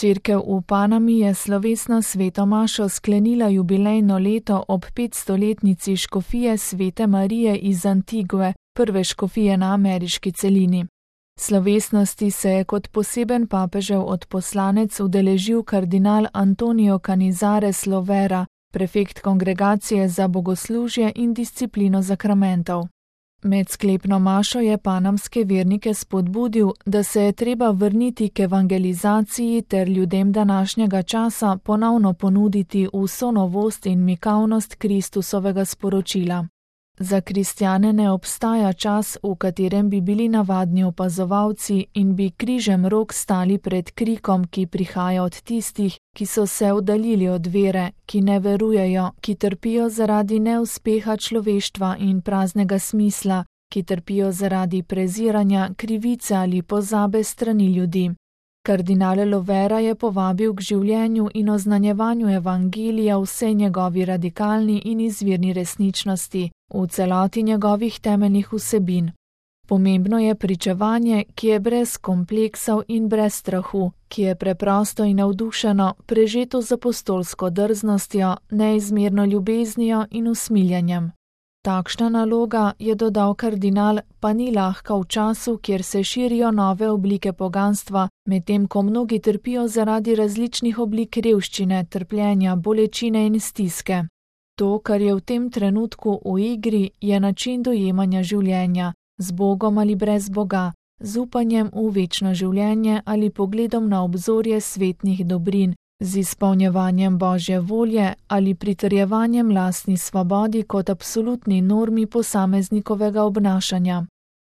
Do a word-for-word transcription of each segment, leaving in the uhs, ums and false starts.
Cerkev v Panami je slovesno sveto mašo sklenila jubilejno leto ob petstoletnici škofije Svete Marije iz Antigue, prve škofije na ameriški celini. Slovesnosti se je kot poseben papežev odposlanec udeležil kardinal Antonio Canizares Lovera, prefekt Kongregacije za bogoslužje in disciplino zakramentov. Med sklepno mašo je panamske vernike spodbudil, da se je treba vrniti k evangelizaciji ter ljudem današnjega časa ponovno ponuditi vso novost in mikavnost Kristusovega sporočila. Za kristjane ne obstaja čas, v katerem bi bili navadni opazovalci in bi križem rok stali pred krikom, ki prihaja od tistih, ki so se oddaljili od vere, ki ne verujejo, ki trpijo zaradi neuspeha človeštva in praznega smisla, ki trpijo zaradi preziranja, krivice ali pozabe strani ljudi. Kardinal Lovera je povabil k življenju in oznanjevanju evangelija vsej njegovi radikalni in izvirni resničnosti, v celoti njegovih temeljnih vsebin. Pomembno je pričevanje, ki je brez kompleksov in brez strahu, ki je preprosto in navdušeno, prežeto z apostolsko drznostjo, neizmerno ljubeznijo in usmiljenjem. Takšna naloga, je dodal kardinal, pa ni lahka v času, kjer se širijo nove oblike poganstva, medtem ko mnogi trpijo zaradi različnih oblik revščine, trpljenja, bolečine in stiske. To, kar je v tem trenutku v igri, je način dojemanja življenja, z Bogom ali brez Boga, z upanjem v večno življenje ali pogledom na obzorje svetnih dobrin, z izpolnjevanjem Božje volje ali pritrjevanjem lastni svobodi kot absolutni normi posameznikovega obnašanja.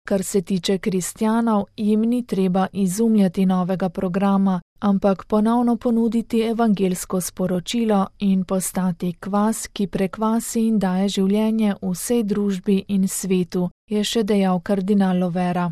Kar se tiče kristjanov, jim ni treba izumljati novega programa, ampak ponovno ponuditi evangelsko sporočilo in postati kvas, ki prekvasi in daje življenje vsej družbi in svetu, je še dejal kardinal Lovera.